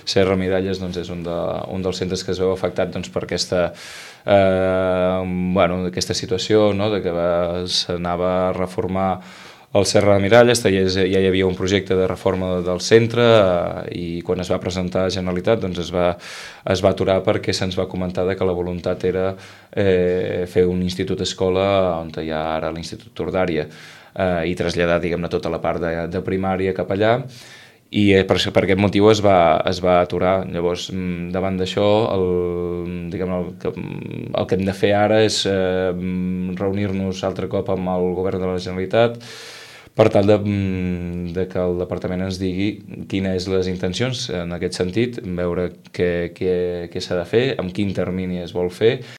Serra Miralles doncs, és un dels centres que es veu afectat doncs, per aquesta situació, no? De que s'anava a reformar el Serra de Miralles, ja hi havia un projecte de reforma del centre i quan es va presentar a Generalitat doncs es va aturar perquè se'ns va comentar que la voluntat era fer un institut-escola on hi ha ara l'Institut Tordària i traslladar, diguem-ne, tota la part de primària cap allà, i per aquest motiu es va aturar. Llavors, davant d'això, el que hem de fer ara és reunir-nos altre cop amb el govern de la Generalitat per tal de que el departament ens digui quines són les intencions en aquest sentit, veure què s'ha de fer, amb quin termini es vol fer